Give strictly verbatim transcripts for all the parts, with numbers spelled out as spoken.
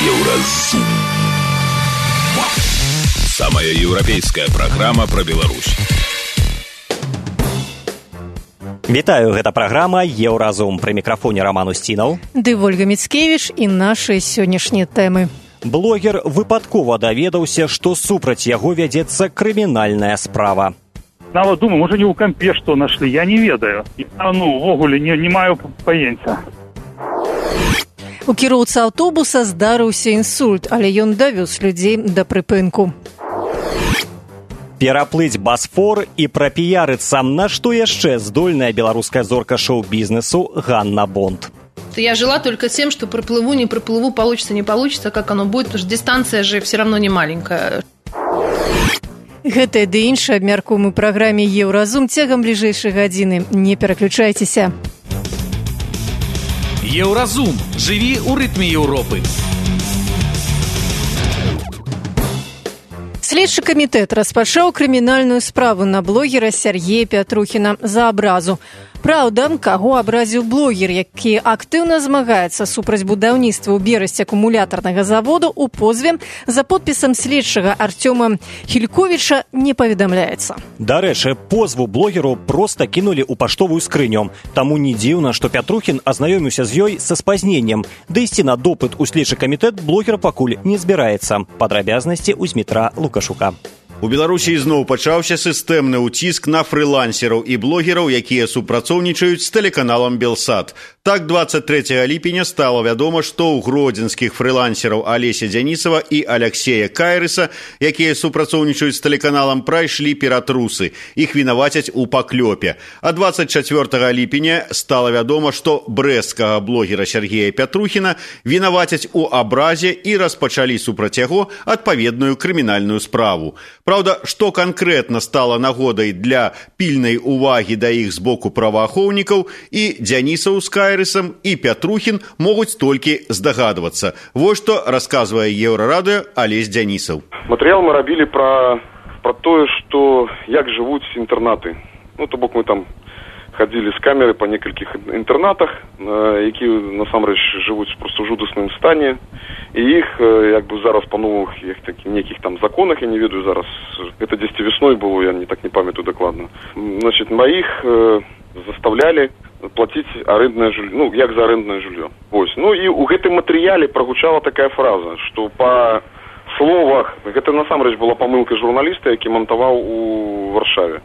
Еўразум. Самая еўрапейская праграма пра Беларусь. Вітаю, гэта праграма «Еўразум». Пры мікрафоне Роман Устінаў. Ды Вольга Міцкевіч і нашы сённяшнія тэмы. Блогер выпадкова даведаўся, што супраць яго вядзецца крымінальная справа. Нават думаю, можа не ў кампе што нашлі, я не ведаю. Я, ну, увогуле не, не маю паенця. У кіроўцы аўтобуса здарыўся інсульт, але ён давёз людзей да прыпынку. Пераплыць Басфор і прапіярыцца, на што яшчэ здольная беларуская зорка шоу-бізнесу Ганна Бонд. Я жила только тем, что проплыву, не проплыву, получится, не получится, как оно будет, потому что дистанция же все равно не маленькая. Гэтае ды іншае абмяркуем у праграме «Еўразум» цягам бліжэйшай гадзіны. Не пераключайцеся. Еўразум. Жыві ў рытме Еўропы. Следчы камітэт распачаў крымінальную справу на блогера Сергея Пятрухіна за абразу. Праўда, каго абразіў блогер, які актыўна змагаецца супраць будаўніцтва ў Берасці акумулятарнага заводу, у позве за подпісам следчага Артёма Хільковіча не паведамляецца. Дарэчы, позву блогеру проста кінулі ў паштовую скрыню. Таму не дзіўна, што Пятрухін азнаёміўся з ёй са спазненнем. Да ісці на допыт у следчы камітэт блогер пакуль не збіраецца. Падрабязнасці ў Змітра Лукашука. У Беларусі зноў пачаўся сістэмны ўціск на фрылансераў і блогераў, якія супрацоўнічаюць з тэлеканалам «Белсат». Так, двадцать третьего ліпеня стала вядома, што ў гродзенскіх фрылансераў Алеся Дзянісава і Аляксея Кайрыса, якія супрацоўнічаюць з тэлеканалам, прайшлі ператрусы. Іх вінавацяць у паклёпе. А двадцать четвёртого ліпеня стала вядома, што брэсцкага блогера Сергея Пятрухіна вінавацяць у абразе і распачалі супраць яго адпаведную крымінальную справу. Праўда, што канкрэтна стала нагодай для пільнай увагі да іх з боку праваахоўнікаў, і Дзянісаў з Кайрысам, і Пятрухін могуць толькі здагадвацца. Вось што расказвае Еўрарадыё Алесь Дзянісаў. Матэрыял мы рабілі пра, пра тое, што як жывуць інтэрнаты. Ну, то бок мы там хадзілі з камеры па некалькіх інтэрнатах, якія насамрэч жывуць проста ў жудасным стане. І іх, як бы зараз па новых некіх там законах, я не ведаю зараз, это дзесьці весной было, я не так не памятаю дакладна. Значит, маіх э, заставлялі плаціць арэнднае жыллё, ну, як за арэнднае жыллё. Вось. Ну і ў гэтым матэрыяле прагучала такая фраза, што па словах, гэта насамрэч была памылка журналіста, які монтаваў у Варшаве,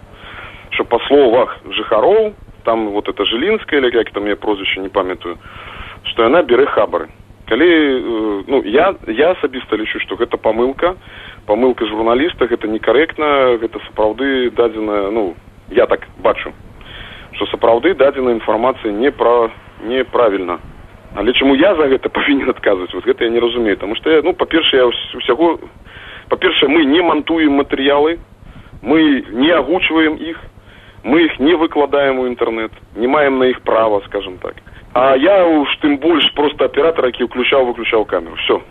што па словах жыхароў, там вот это Жылінская, или як там я прозвішча не памятаю, што яна бярэ хабары. Калі, ну, я, я асабіста лічу, што гэта памылка, памылка журналіста, гэта некарэктна, гэта сапраўды дадзеная, ну, я так бачу, што сапраўды дадзеная інфармацыя не пра, неправільна. Але чаму я за гэта павінен адказваць, вот гэта я не разумею, таму што я, ну, па-першае, я ўсяго, па-першае, мы не мантуем матэрыялы, мы не агучваем іх, мы іх не выкладаем у інтэрнэт, не маем на іх права, скажем так. А я уж тым больш просто аператор, які ўключаў-выключаў камеру. Все.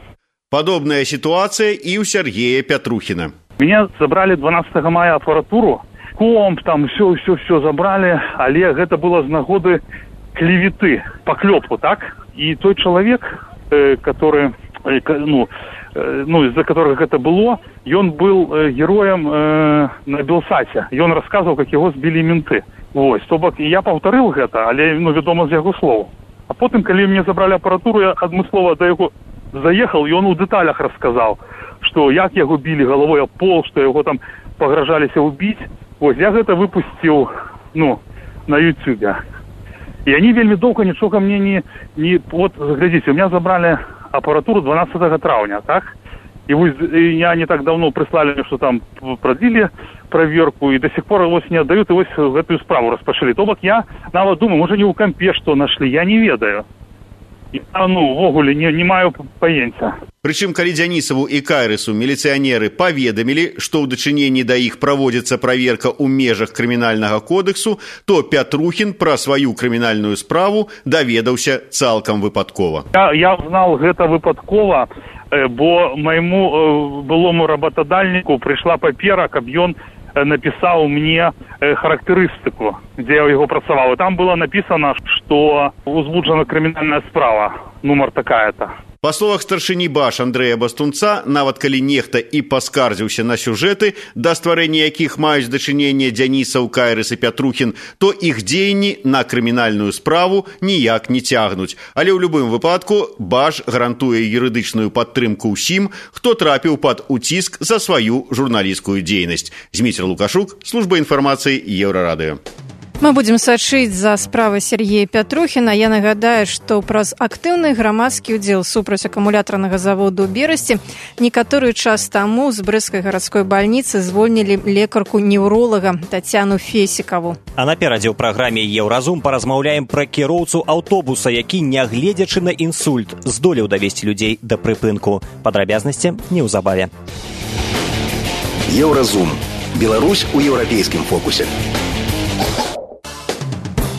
Падобная сітуацыя і ў Сергея Пятрухіна. Мяне забралі дванадцатого мая апаратуру, комп, там все-все-все забралі, але гэта было з нагоды клеветы, паклёпу, так? І той чалавек, э, который, э, ну, э, ну, из-за которых гэта было, ён был э, героем э, на Белсаце. Ён расказваў, як яго збілі менты. Вось, то бок, я паўтарыў гэта, але, ну, вядома, з яго слоў. А потым, калі мне забралі апаратуру, я адмыслова да яго заехал, і ён у дэталях расказаў, што як яго білі галавой аб пол, што яго там пагражаліся ўбіць. Вось, я гэта выпусціў, ну, на ютубе. І они вельмі доўга нічога мне не... не вот, глядзіце, у меня забралі апаратуру дванадцатого траўня, так? И вот я не так давно прислали, что там продлили проверку, и до сих пор его не отдают, и вот эту справу распашили. То бок я нават думаю, может не у кампе что нашли, я не ведаю. Я, ну, вогуле не, не маю паенця. Прычым, калі Дзянісаву і Кайрысу міліцыянеры паведамілі, што ў дачыненні да іх праводзіцца праверка ў межах крымінальнага кодексу, то Пятрухін пра сваю крымінальную справу даведаўся цалкам выпадкова. Я, я знал гэта выпадкова, бо майму былому работодальніку прыйшла папера, каб ён написал мне характеристику, где я его працаваў. И там было написано, что узбуджена криминальная справа, номер такая-то. Па словах старшыні БАШ Андрэя Бастунца, нават калі нехта і паскардзіўся на сюжэты, да стварэння якіх маюць дачыненне Дзянісаў, Кайрыс і Пятрухін, то іх дзеянні на крымінальную справу ніяк не цягнуць. Але ў любым выпадку БАШ гарантуе юрыдычную падтрымку ўсім, хто трапіў пад уціск за сваю журналісцкую дзейнасць. Зміцер Лукашук, служба інфармацыі Еўрарадыё. Мы будем сачыць за справай Сергея Пятрухіна. Я нагадаю, што праз актыўны грамадскі ўдзел супраць акумулятарнага заводу ў Берасці некаторы час таму з брэсцкай гарадской бальніцы звольнілі лекарку-неўролага Тацяну Фесікаву. А наперадзе ў праграме «Еўразум» паразмаўляем пра кіроўцу аўтобуса, які, нягледзячы на інсульт, здолеў давесці людзей да прыпынку. Падрабязнасці неўзабаве. Еўразум. Беларусь у еўрапейскім фокусе.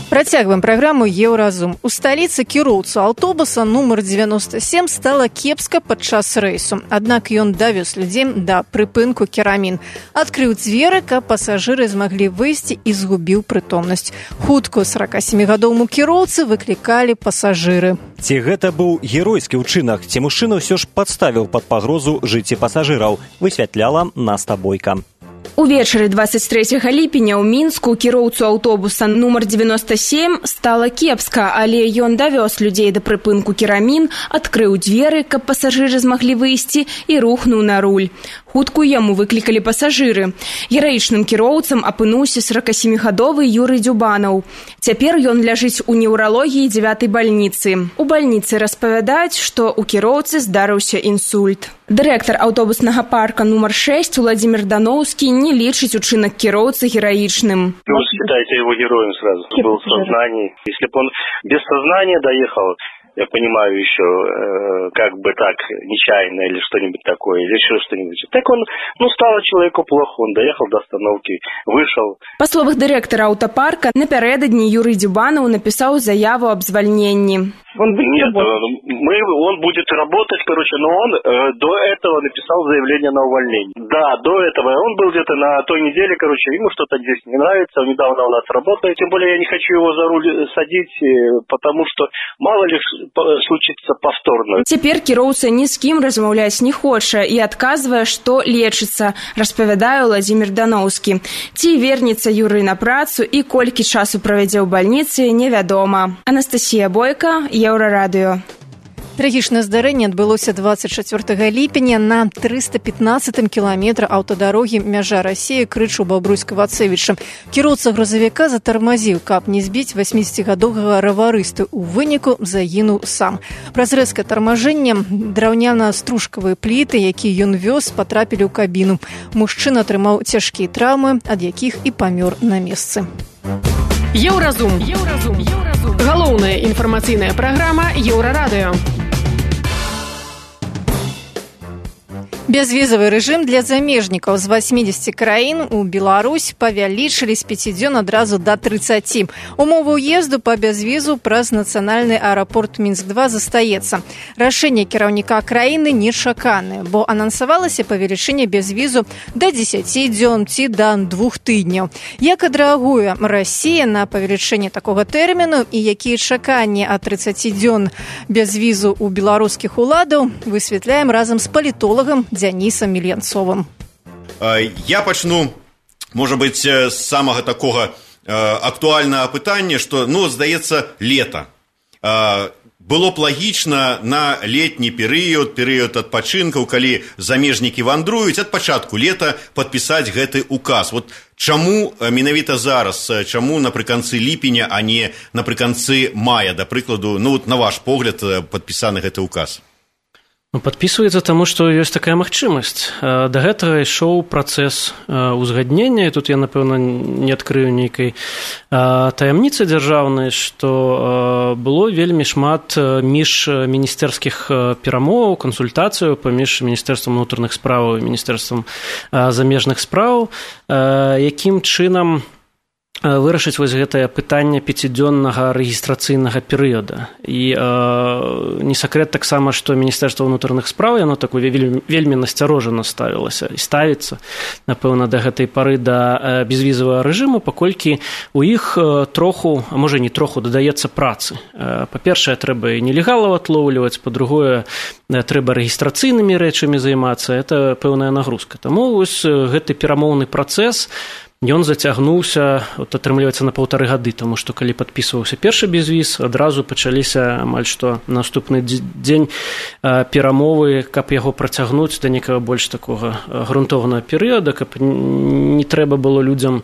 Працягваем праграму «Еўразум». У сталіцы кіроўцу аўтобуса нумар дзевяноста сем стала кепска падчас рэйсу. Аднак ён давёз людзей да прыпынку Керамін. Адкрыў дзверы, каб пасажыры змаглі выйсці і згубіў прытомнасць. Хуткую сорокасемігадоваму кіроўцы выклікалі пасажыры. Ці гэта быў геройскі ўчынак, ці мужчына ўсё ж падставіў пад пагрозу жыцці пасажыраў, высвятляла Наста Бойка. Увечары двадцать трэцяга ліпеня ў Мінску кіроўцу аўтобуса нумар дзевяноста сем стала кепска, але ён давёз людзей да прыпынку Керамін, адкрыў дзверы, каб пасажыры змаглі выйсці, і рухнуў на руль. Хутку яму выклікалі пасажыры. Гераічным кіроўцам апынуўся сорокасемігадовы Юрый Дзюбанаў. Цяпер ён ляжыць у неўралогіі дзевятай бальніцы. У бальніцы распавядаюць, што ў кіроўцы здарыўся інсульт. Дырэктар аўтобуснага парка нумар шесть Владимир Дановский не лічыць учынак кіроўцы гераічным. Ну, считайте его героем сразу. Был в сознании. Если бы он без сознания доехал, я понимаю, еще э, как бы так, нечаянно или что-нибудь такое, или еще что-нибудь. Так он, ну, стало человеку плохо, он доехал до остановки, вышел. Па словах дырэктара аўтапарка, напярэдадні Юрый Дзюбанаў напісаў заяву аб звальненні. Он Нет, мы, он будет работать, короче, но он э, до этого написал заявление на увольнение. Да, до этого. Он был где-то на той неделе, короче, ему что-то здесь не нравится, он недавно у нас работает. Тем более я не хочу его за руль садить, потому что мало ли случится повторно. Цяпер кіроўца ні з кім размаўляць не хоча і адказвае, што лечыцца, распавядае Владимир Дановский. Ці вернецца Юрый на працу і колькі часу правядзе ў бальніцы, невядома. Анастасія Бойка, Еўрарадыё. Трагічнае здарэнне адбылося двадцать чацвёртага ліпеня на трыста пятнадцатым кіламетры аўтадарогі мяжа Расіі Крычу Бабруйска-Вацэвіча. Кіроўца грузавіка затармазіў, каб не збіць васьмідзесяцігадовага раварысту. У выніку загінуў сам. Праз рэзкае тармажэнне драўняна-стружкавыя пліты, якія ён вёз, патрапілі ў кабіну. Мужчына атрымаў цяжкія траўмы, ад якіх і памёр на месцы. Еўразум. Еўразум. Еўразум. Галоўная інфармацыйная праграма Еўрарадыё. Бязвізавы рэжым для замежнікаў з васьмідзесяці краін у Беларусь павялічылі з пяці дзён адразу да трыццаці. Умовы ўезду па бязвізу праз нацыянальны аэрапорт Мінск два застаецца. Рашэнне кіраўніка краіны нечаканае, бо анансавалася павелічэнне бязвізу да дзесяці дзён ці да двух тыдняў. Як адрэагуе Расія на павелічэнне такога тэрміну і якія чаканні ад трыццаці дзён бязвізу ў беларускіх уладаў, высвятляем разам з палітолагам Дзянісам Мільянцовым. Я пачну, можа быць, з самага такога актуальнага пытання, што, ну, здаецца, лета. Было б лагічна на летні перыяд, перыяд адпачынкаў, калі замежнікі вандруюць, ад пачатку лета падпісаць гэты указ. Вот чаму менавіта зараз, чаму напрыканцы ліпеня, а не напрыканцы мая, да прыкладу, ну, на ваш погляд, падпісаны гэты указ? Падпісваецца таму, што ёсць такая магчымасць. Да гэтага ішоў працэс узгаднення, і тут я, напэўна, не адкрыю нейкай таямніцы дзяржаўнай, што было вельмі шмат міжміністэрскіх перамоваў, кансультацыяў паміж Міністэрствам унутраных спраў і Міністэрствам замежных спраў, якім чынам вырашыць вось гэтае пытанне пяцідзённага рэгістрацыйнага перыяда. І э, не сакрэт таксама, што Міністэрства ўнутраных спраў, яно такое вельмі, вельмі насцярожана ставілася і ставіцца, напэўна, да гэтай пары да безвізавага рэжыму, паколькі у іх троху, а можа не троху, дадаецца працы. Па-першае, трэба і нелегалаў атлоўліваць, па-другое, трэба рэгістрацыйнымі рэчамі займацца, это пэўная нагрузка. Таму вось гэты перамоўны працэс, ён зацягнуўся, от, атрымліваецца, на паўтары гады, таму што калі падпісваўся першы безвіз, адразу пачаліся амаль што наступны дзень перамовы, каб яго працягнуць да некага больш такога грунтоўнага перыяда, каб не трэба было людзям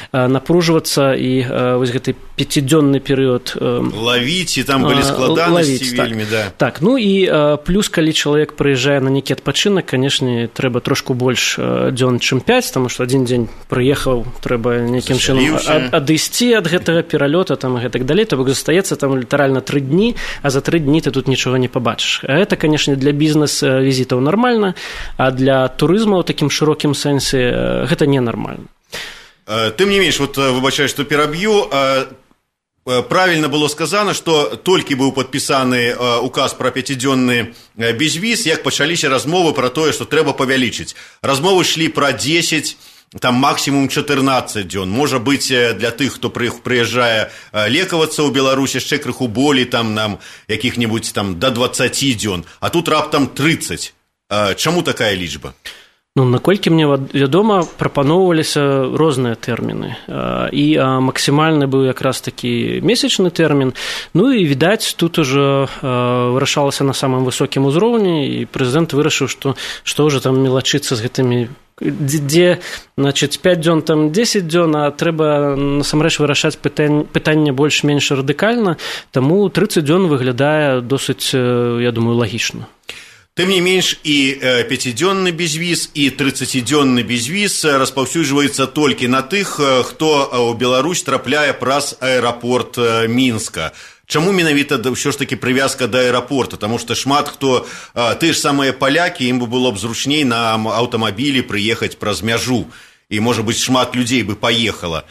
напружвацца і вось гэты пяцідзённы перыяд лавіць, і там былі складанасці вельмі, так. да. Так, ну і плюс, калі чалавек прыязджае на нейкі адпачынак, канешне, трэба трошку больш дзён, чым пяць, таму што адзін дзень прыехаў, трэба нейкім чынам адысці ад гэтага пералёта там і гэтак далей, то бок застаецца там літаральна тры дні, а за тры дні ты тут нічога не пабачыш. А гэта, канешне, для бізнес-візітаў нармальна, а для турызма ў такім шырокім сэнсе гэта ненармальна. Тым не менш, вот выбачаю, што пераб'ю, правильно было сказано, што толькі быў падпісаны указ пра пяцідзённы безвіз, як пачаліся размовы пра тое, што трэба павялічыць. Размовы шлі пра дзесяць, там максимум чатырнаццаць дзён. Можа быць, для тых, хто прыязджае лекавацца ў Беларусь, яшчэ крыху болей, там нам якіх-небудзь там да дваццаці дзён, а тут раптам трыццаць. Чаму такая лічба? Ну, наколькі мне вядома, прапаноўваліся розныя тэрміны. І максімальны быў якраз такі месячны тэрмін. Ну і, відаць, тут ужо вырашалася на самым высокім узроўні, і прэзідэнт вырашыў, што што ўжо там мелачыцца з гэтымі, дзе, значыць, пяць дзён, там дзесяць дзён, а трэба насамрэч вырашаць пытанне, пытанне больш-менш радыкальна, таму трыццаць дзён выглядае досыць, я думаю, лагічна. Тым не менш, і пяцідзённы безвіз, і трыццацідзённы безвіз распаўсюджваецца толькі на тых, хто ў Беларусь трапляе праз аэрапорт Мінска. Чаму менавіта ўсё ж такі прывязка да аэрапорта? Таму што шмат хто, ты ж самыя палякі, ім бы было б зручней на аўтамабілі прыехаць праз мяжу. І, можа быць, шмат людзей бы паехала.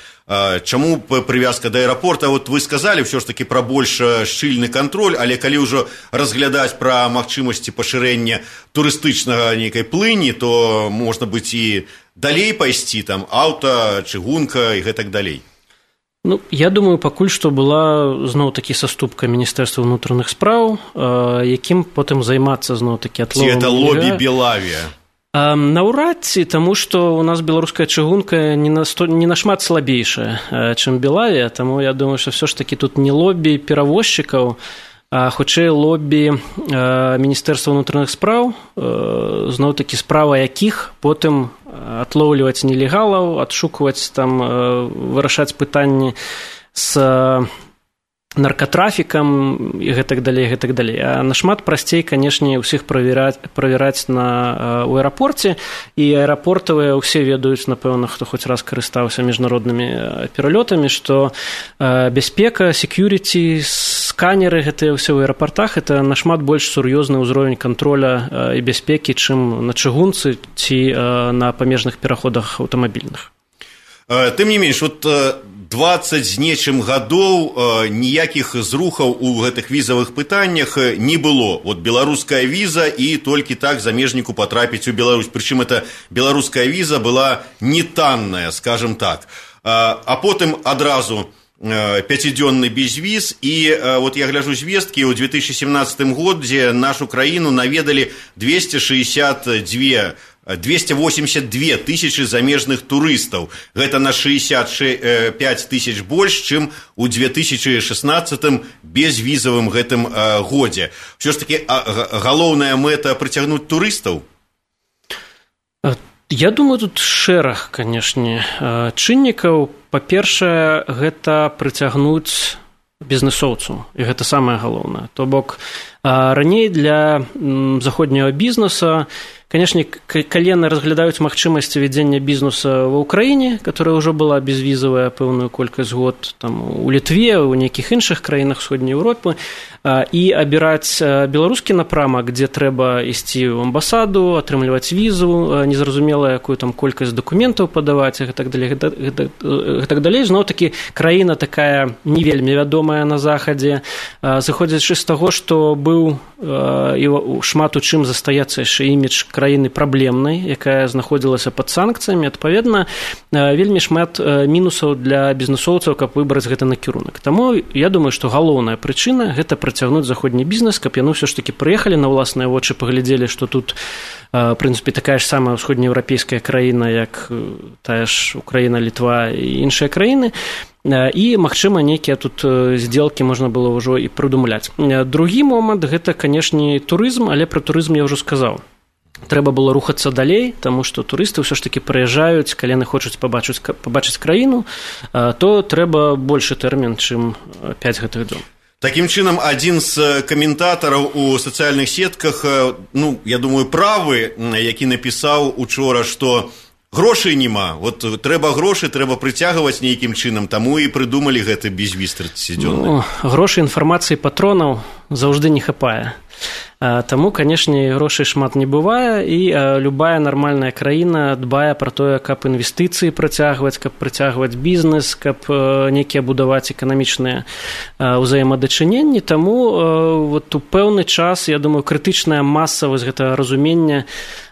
Чаму прывязка да аэрапорта? Вот вы сказалі ўсё ж такі пра больш шчыльны кантроль, але калі ўжо разглядаць пра магчымасці пашырэння турыстычнага нейкай плыні, то можна быць і далей пайсці, там аўта, чыгунка і гэтак далей. Ну, я думаю, пакуль што была зноў-такі саступка Міністэрства ўнутраных спраў, якім потым займацца зноў-такі атловам. Ці гэта лобі Белавія? Наўрад ці, таму што у нас беларуская чыгунка не, на сто, не нашмат слабейшая, чым Белавія, таму я думаю, што все ж такі тут не лобі перавозчыкаў, а хутчэй лобі Міністэрства ўнутраных спраў, зноў-такі справа якіх потым атлоўліваць нелегалаў, адшукваць там, вырашаць пытанні з наркатрафікам і гэтак далей, гэтак далей. А нашмат прасцей, канешне, ўсіх правяраць, правяраць на, у аэрапорце, і аэрапортавыя ўсе ведаюць, напэўна, хто хоць раз карыстаўся міжнароднымі пералётамі, што бяспека, секьюріці, сканеры, гэтыя ўсе ў аэрапортах, это нашмат больш сур'ёзны ўзровень контроля і бяспекі, чым на чыгунцы ці на памежных пераходах аўтамабільных. Тым не менш, вот дваццаць з нечым гадоў ніякіх зрухаў у гэтых візавых пытаннях не было. Вот беларуская віза і толькі так замежніку патрапіць у Беларусь. Прычым эта беларуская віза была не танная, скажем так. А потым адразу пяцідзённы безвіз, і вот я гляжу звесткі, ў две тысячи семнадцатым годзе нашу краіну наведалі двести шестьдесят два двести восемьдесят две тысячи замежных турыстаў. Гэта на шестьдесят пять тысяч больш, чым у две тысячи шестнадцатым безвізавым гэтым годзе. Всё ж таки галоўная мэта прыцягнуць турыстаў? Я думаю, тут шэраг, канешне, чыннікаў. Па-першае, гэта прыцягнуць бізнесоўцаў, і гэта самае галоўнае. То бок, раней для заходняга бізнеса, канешне, калі яны разглядаюць магчымасці вядзення бізнеса ва ўкраіне, которая ўжо была безвізавая пэўную колькасць год, там, у Літве, у нейкіх іншых краінах Усходняй Еўропы, і абіраць беларускі напрамак, дзе трэба ісці ў амбасаду, атрымліваць візу, незразумела, якую там колькасць дакументаў падаваць, і гэтак далей, гэтак далей. Зноў-такі краіна такая не вельмі вядомая на захадзе, зыходзячы з таго, што быў і шмат у чым застаецца яшчэ імідж краіны праблемнай, якая знаходзілася пад санкцыямі, адпаведна, вельмі шмат мінусаў для бізнесоўцаў, каб выбраць гэта накірунак. Таму я думаю, што галоўная прычына гэта працягнуць заходні бізнес, каб яны ўсё ж такі прыехалі на ўласныя вочы, паглядзелі, што тут, в прынцыпе, такая ж самая ўсходнееўрапейская краіна, як тая ж Украіна, Літва і іншыя краіны, і, магчыма, нейкія тут здзелкі можна было ўжо і прыдумляць. Другі момант – гэта, канешне, турызм, але пра турызм я ўжо сказаў. Трэба было рухацца далей, таму што турысты ўсё ж такі прыязджаюць, калі яны хочуць пабачыць, пабачыць краіну, то трэба большы тэрмін, чым пяць гэтых дзён. Такім чынам, адзін з каментатараў у сацыяльных сетках, ну, я думаю, правы, які напісаў учора, што грошай няма, вот трэба грошы, трэба прыцягваць нейкім чынам, таму і прыдумалі гэты безвіз трыццацідзённы. Ну, грошы, інфармацыі, патронаў заўжды не хапае. Таму, канешне, грошай шмат не бывае, і любая нармальная краіна дбае пра тое, каб інвестыцыі працягваць, каб працягваць бізнес, каб нейкія будаваць эканамічныя ўзаемадачыненні. Таму вот у пэўны час, я думаю, крытычная маса вось гэтага разумення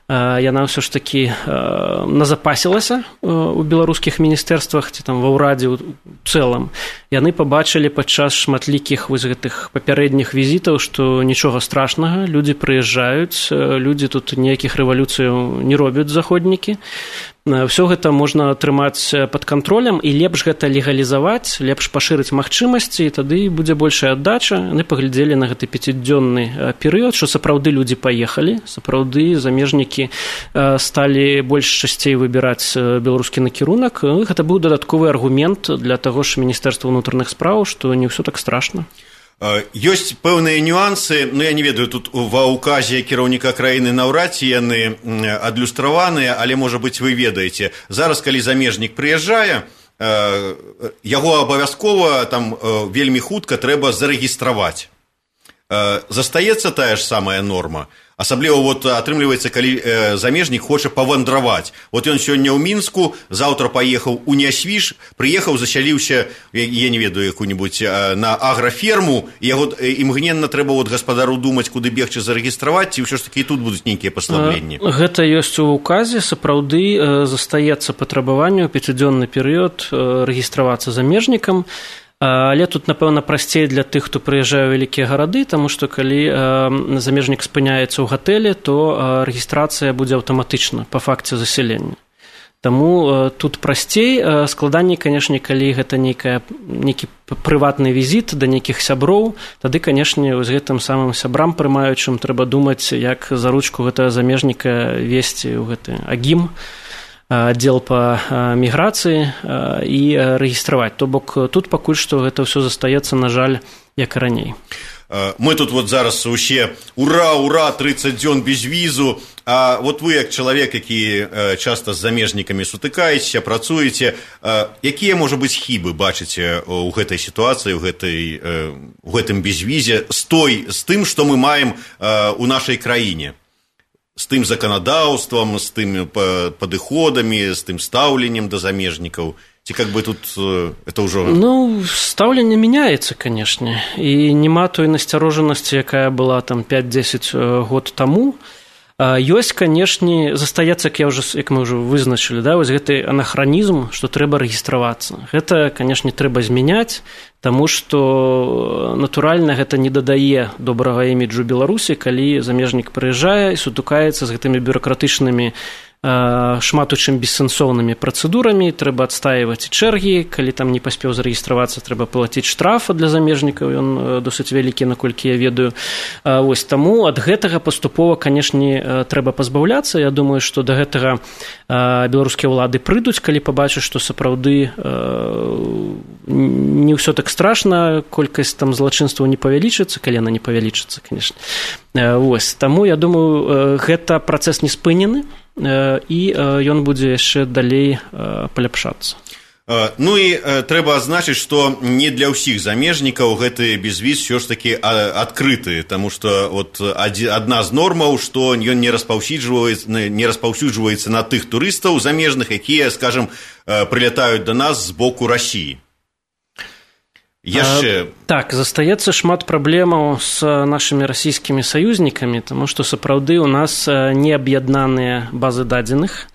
яна ўсё ж такі назапасілася ў беларускіх міністэрствах ці там ва ўрадзе ў цэлым. Яны пабачылі падчас шматлікіх вось гэтых папярэдніх візітаў, што нічога страшнага, людзі прыязджаюць, людзі тут ніякіх рэвалюцыяў не робяць заходнікі. Ўсё гэта можна трымаць пад кантролем, і лепш гэта легалізаваць, лепш пашырыць магчымасці, і тады будзе большая аддача. Яны паглядзелі на гэты пяцідзённы перыяд, што сапраўды людзі паехалі, сапраўды замежнікі сталі больш часцей выбіраць беларускі накірунак. Гэта быў дадатковы аргумент для таго ж Міністэрства ўнутраных спраў, што не ўсё так страшна. Ёсць пэўныя нюансы, ну я не ведаю, тут ва ўказе кіраўніка краіны наўрад ці яны адлюстраваныя, але, можа быць, вы ведаеце. Зараз, калі замежнік прыязджае, яго абавязкова там вельмі хутка трэба зарэгістраваць. Застаецца тая ж самая норма. Асабліва вот атрымліваецца, калі замежнік хоча павандраваць. Вот ён сёння ў Мінску, заўтра паехаў у Нясвіж, прыехаў, засяліўся, я не ведаю, якую-нибудь на аграферму, і яго імгненна трэба вот гаспадару думаць, куды бегчы зарэгістраваць, ці ўсё ж такі і тут будуць нейкія паслабленні. Гэта ёсць у указе, сапраўды застаецца патрабаванне ў пяцідзённы перыяд рэгістравацца замежнікам. Але тут, напэўна, прасцей для тых, хто прыязджае ў вялікія гарады, таму што калі замежнік спыняецца ў гатэлі, то рэгістрацыя будзе аўтаматычна па факце засялення. Таму тут прасцей, складаней, канешне, калі гэта нейкая, нейкі прыватны візіт да нейкіх сяброў, тады, канешне, з гэтым самым сябрам прымаючым трэба думаць, як за ручку гэтага замежніка весці ў гэты агім, аддзел па міграцыі і рэгістраваць. То бок тут пакуль што гэта ўсё застаецца, на жаль, як і раней. Мы тут вот зараз усе ура, ура, трыццаць дзён без візу, а вот вы, як чалавек, які часта з замежнікамі сутыкаецеся, працуеце, якія, можа быць, хібы бачыце ў гэтай сітуацыі, ў гэтай, у гэтым безвізе з той, з тым, што мы маем у нашай краіне? З тым заканадаўствам, з тымі падыходамі, з тым стаўленнем да замежнікаў? Ці как бы тут это ўжо... Ну, стаўленне мяняецца, канешне, і няма той насцярожанасці, якая была там пяць-дзесяць год таму. Ёсць, канешне, застаецца, як, я ўжо, як мы ўжо вызначылі, да, вось гэты анахранізм, што трэба рэгістравацца. Гэта, канешне, трэба змяняць, таму што, натуральна, гэта не дадае добрага іміджу Беларусі, калі замежнік прыязджае і сутыкаецца з гэтымі бюракратычнымі, шмат у чым бессэнсоўнымі працэдурамі, трэба адстаиваць чэргі, калі там не паспеў зарэгістравацца, трэба плаціць штрафа для замежнікаў, ён досыць вялікі, наколькі я ведаю. Вось, таму ад гэтага паступова, канешне, трэба пазбаўляцца. Я думаю, што да гэтага беларускія ўлады прыйдуць, калі пабачаць, што сапраўды не ўсё так страшна, колькасць там злачынстваў не павялічыцца, калі яна не павялічыцца, канешне. Вось, таму, я думаю, гэта працэс не спынены, і ён будзе яшчэ далей паляпшацца. Ну і трэба адзначыць, што не для ўсіх замежнікаў гэты безвіз ўсё ж такі адкрыты, таму што вот адна з нормаў, што ён не распаўсюджваецца, не распаўсюджваецца на тых турыстаў замежных, якія, скажем, прылятаюць да нас з боку Расіі. Яшчэ... А, так, застаецца шмат праблемаў з нашымі расійскімі саюзнікамі, таму што сапраўды у нас не аб'яднаныя базы дадзеных.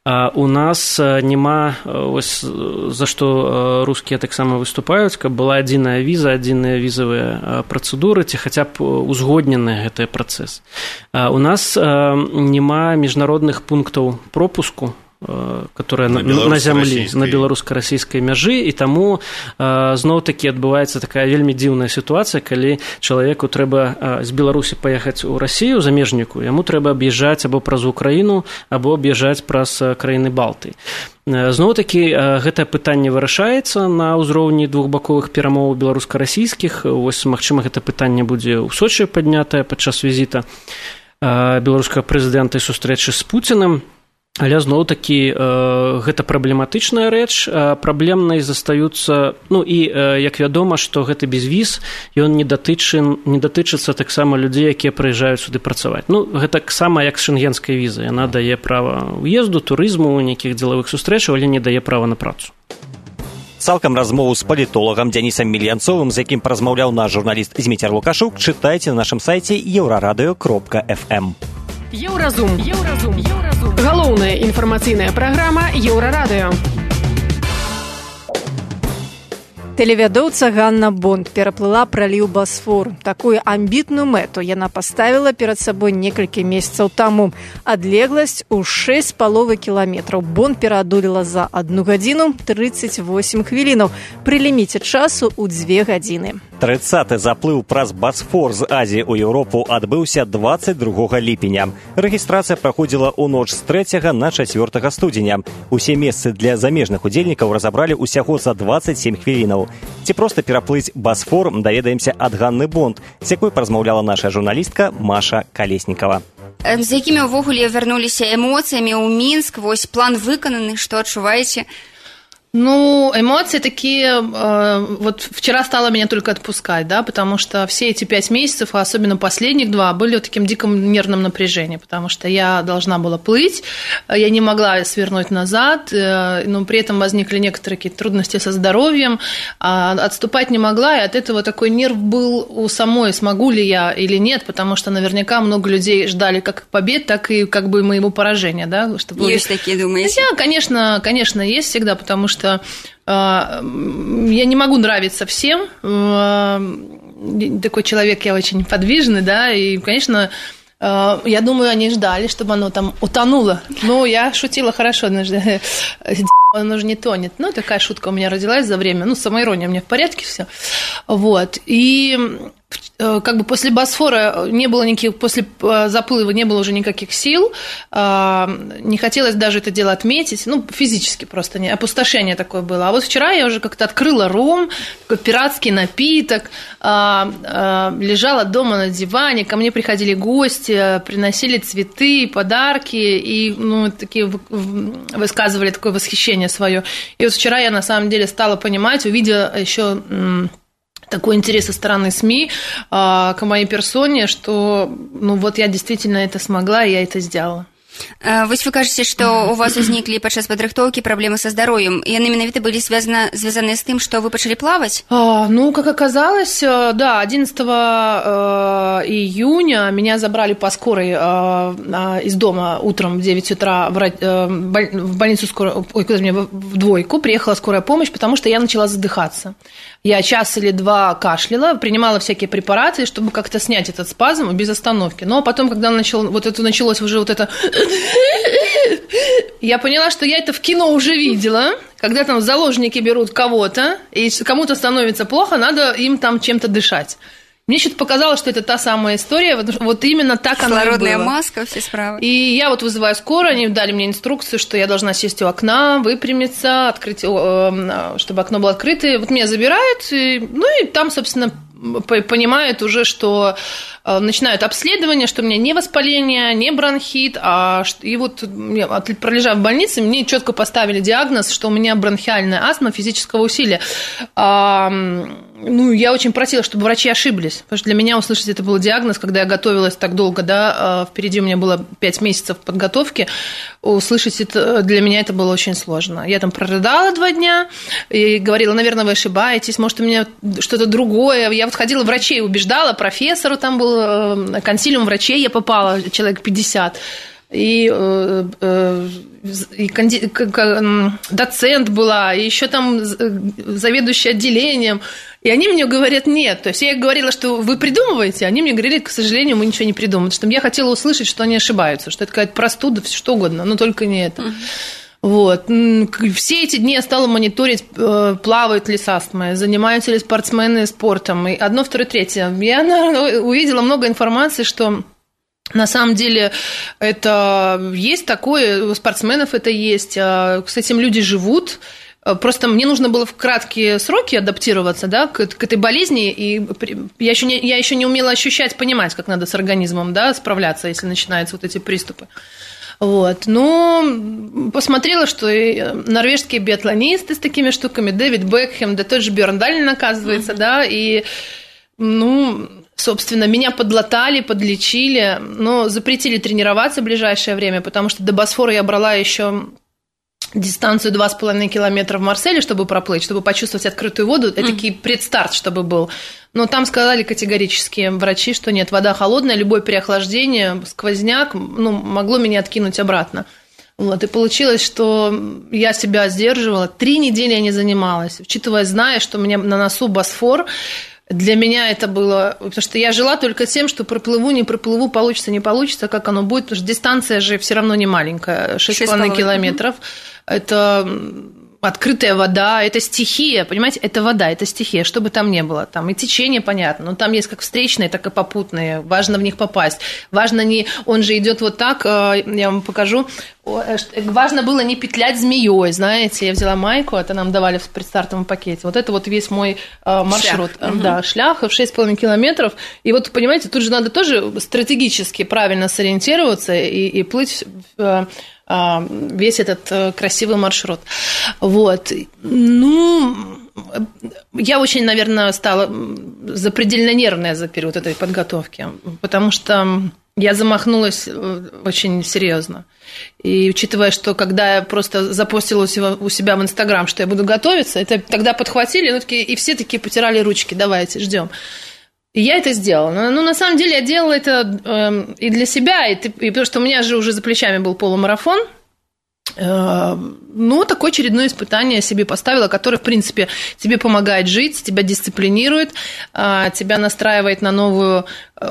У нас няма, ось, за што рускія таксама выступаюць, каб была адзіная віза, адзіныя візавыя працэдуры, ці хаця б узгоднены гэты працэс. У нас няма міжнародных пунктаў пропуску, которая на, на зямлі, на беларуска-расійскай мяжы, і таму зноў-такі адбываецца такая вельмі дзіўная сітуацыя, калі чалавеку трэба з Беларусі паехаць у Расію, замежніку, яму трэба аб'язджаць або праз Украіну, або аб'язджаць праз краіны Балтыі. Зноў-такі гэтае пытанне вырашаецца на ўзроўні двухбаковых перамоваў беларуска-расійскіх. Вось, магчыма, гэта пытанне будзе ў Сочы паднятае падчас візіта беларускага прэзідэнта і сустрэчы з Пуцінам. Але зноў-такі гэта праблематычная рэч, праблемнай застаюцца, ну і як вядома, што гэты безвіз, ён не датычын, не датычыцца таксама людзей, якія прыязджаюць сюды працаваць. Ну, гэта таксама як з шэнгенскай візай, яна дае права ўезду, турызму, нейкіх дзелавых сустрэчаў, але не дае права на працу. Цалкам размову з палітолагам Дзянісам Мільянцовым, з якім паразмаўляў наш журналіст Зміцер Лукашук, чытайце на нашым сайце еўрарадыё кропка эф эм. Еўразум. Еўразум. Еўразум. Галоўная інфармацыйная праграма Еўрарадыё. Тэлевядоўца Ганна Бонд пераплыла праліў Басфор. Такую амбітную мэту яна паставіла перад сабой некалькі месяцаў таму. Адлегласць у шэсць з паловай кіламетраў. Бонд пераадолела за адну гадзіну трыццаць восем хвілінаў. Пры ліміце часу ў дзве гадзіны. трыццаты заплыў праз Басфор з Азіі ў Еўропу адбыўся дваццаць другога ліпеня. Рэгістрацыя праходзіла ў ноч з трэцяга на чацвёртага студзеня. Усе месцы для замежных удзельнікаў разабралі ўсяго за дваццаць сем хвілінаў. Ці проста пераплыць Басфор, даведаемся ад Ганны Бонд, з якой паразмаўляла наша журналістка Маша Калеснікава. З якімі ўвогуле вярнуліся эмоцыямі ў Мінск? Вось план выкананы, што адчуваеце? Ну, эмоции такие, э, вот вчера стало меня только отпускать, да, потому что все эти пять месяцев, а особенно последних два, были в таким диком нервном напряжении, потому что я должна была плыть, я не могла свернуть назад, э, но при этом возникли некоторые какие-то трудности со здоровьем, а отступать не могла, и от этого такой нерв был у самой, смогу ли я или нет, потому что наверняка много людей ждали как побед, так и как бы моего поражения, да. Чтобы... Есть такие, думаете? Хотя, конечно, конечно, есть всегда, потому что что э, я не могу нравиться всем. Э, такой человек, я очень подвижный, да, и, конечно, э, я думаю, они ждали, чтобы оно там утонуло. Ну, я шутила хорошо, оно же не тонет. Ну, такая шутка у меня родилась за время. Ну, самоирония у меня в порядке все. Вот. И как бы после Босфора не было никаких, после заплыва не было уже никаких сил, не хотелось даже это дело отметить, ну, физически просто, не, опустошение такое было. А вот вчера я уже как-то открыла ром, такой пиратский напиток, лежала дома на диване, ко мне приходили гости, приносили цветы, подарки, и, ну, такие высказывали такое восхищение свое. И вот вчера я на самом деле стала понимать, увидела еще такой интерес со стороны СМИ э, к моей персоне, что, ну, вот я действительно это смогла, и я это сделала. Вось вы кажаце, што у вас узніклі падчас падрыхтоўкі праблемы са здароўем, і яны менавіта былі звязаны з тым, што вы пачалі плаваць? А, ну, как оказалось, да, одиннадцатого июня меня забрали по скорой из дома утром в девять утра в больницу скорой, ой, куда мне, в двойку, приехала скорая помощь, потому что я начала задыхаться. Я час или два кашляла, принимала всякие препараты, чтобы как-то снять этот спазм без остановки. Но потом, когда начал, вот это началось уже вот это... Я поняла, что я это в кино уже видела, когда там заложники берут кого-то, и кому-то становится плохо, надо им там чем-то дышать. Мне что-то показалось, что это та самая история, вот именно так она и была. Кислородная маска, все справа. И я вот вызываю скорую, они дали мне инструкцию, что я должна сесть у окна, выпрямиться, открыть, чтобы окно было открыто. Вот меня забирают, и, ну и там, собственно, понимают уже, что начинают обследование, что у меня не воспаление, не бронхит, а и вот пролежав в больнице, мне четко поставили диагноз, что у меня бронхиальная астма физического усилия. Ну, я очень просила, чтобы врачи ошиблись, потому что для меня услышать это был диагноз, когда я готовилась так долго, да, впереди у меня было пять месяцев подготовки, услышать это, для меня это было очень сложно. Я там прорыдала два дня и говорила, наверное, вы ошибаетесь, может, у меня что-то другое. Я вот ходила врачей, убеждала, профессору там был, консилиум врачей я попала, человек пятьдесят. И, и канди, доцент была, и еще там заведующий отделением. И они мне говорят, нет. То есть я говорила, что вы придумываете, они мне говорили, к сожалению, мы ничего не придумываем. Потому что я хотела услышать, что они ошибаются, что это какая-то простуда, что угодно, но только не это. Вот. Все эти дни я стала мониторить, плавают ли с астмой, занимаются ли спортсмены спортом. И одно, второе, третье. Я увидела много информации, что на самом деле это есть такое, у спортсменов это есть. С этим люди живут. Просто мне нужно было в краткие сроки адаптироваться, да, к, к этой болезни, и я еще, не, я еще не умела ощущать, понимать, как надо с организмом, да, справляться, если начинаются вот эти приступы. Вот. Но посмотрела, что и норвежские биатлонисты с такими штуками, Дэвид Бекхэм, да тот же Бьорн Даллен, оказывается, mm-hmm. да, и, ну, собственно, меня подлатали, подлечили, но запретили тренироваться в ближайшее время, потому что до Босфора я брала еще дистанцию два с половиной километра в Марселе, чтобы проплыть, чтобы почувствовать открытую воду, это mm. такой предстарт, чтобы был. Но там сказали категорически врачи, что нет, вода холодная, любое переохлаждение, сквозняк, ну, могло меня откинуть обратно. Вот, и получилось, что я себя сдерживала, три недели я не занималась, учитывая, зная, что у меня на носу Босфор. Для меня это было... Потому что я жила только тем, что проплыву, не проплыву, получится, не получится, как оно будет. Потому что дистанция же все равно не маленькая. шесть с половиной километров. Это открытая вода, это стихия, понимаете? Это вода, это стихия, что бы там ни было. Там и течение, понятно, но там есть как встречные, так и попутные. Важно в них попасть. Важно не... Он же идет вот так, я вам покажу. Важно было не петлять змеей, знаете. Я взяла майку, это нам давали в предстартовом пакете. Вот это вот весь мой маршрут. Шлях. Да, угу. Шлях в шесть с половиной километров. И вот, понимаете, тут же надо тоже стратегически правильно сориентироваться и, и плыть весь этот красивый маршрут. Вот. Ну, я очень, наверное, стала запредельно нервная за период этой подготовки, потому что я замахнулась очень серьезно. И учитывая, что когда я просто запостила у себя в Инстаграм, что я буду готовиться, это тогда подхватили, ну, такие, и все такие потирали ручки, давайте, ждем. И я это сделала. Но, ну, на самом деле, я делала это э, и для себя, и, и потому что у меня же уже за плечами был полумарафон. Э, ну, такое очередное испытание я себе поставила, которое, в принципе, тебе помогает жить, тебя дисциплинирует, э, тебя настраивает на новую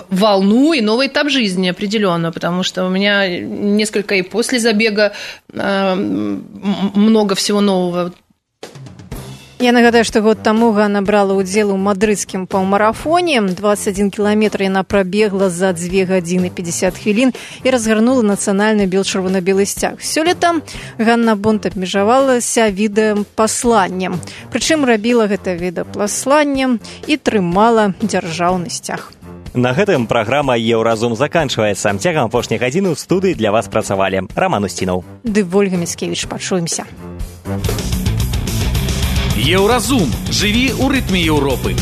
волну и новый этап жизни определенно, потому что у меня несколько и после забега э, много всего нового. Я нагадаю, што год таму Ганна брала ўдзел у мадрыдскім паўмарафоне. двадцать один кіламетр яна прабегла за две гадзіны пятьдесят хвілін і разгарнула нацыянальны бел-чырвона-белы сцяг. Сёлета Ганна Бонт абмежавалася відэапасланнем. Прычым рабіла гэта відэапасланнем і трымала дзяржаўны сцяг. На гэтым праграма «Еўразум» заканчваецца. Цягам апошняй гадзіны ў студыі для вас працавалі Раман Устінаў. Ды Вольга Міцкевіч. Пачуемся. Еўразум. Жыві ў рытме Еўропы.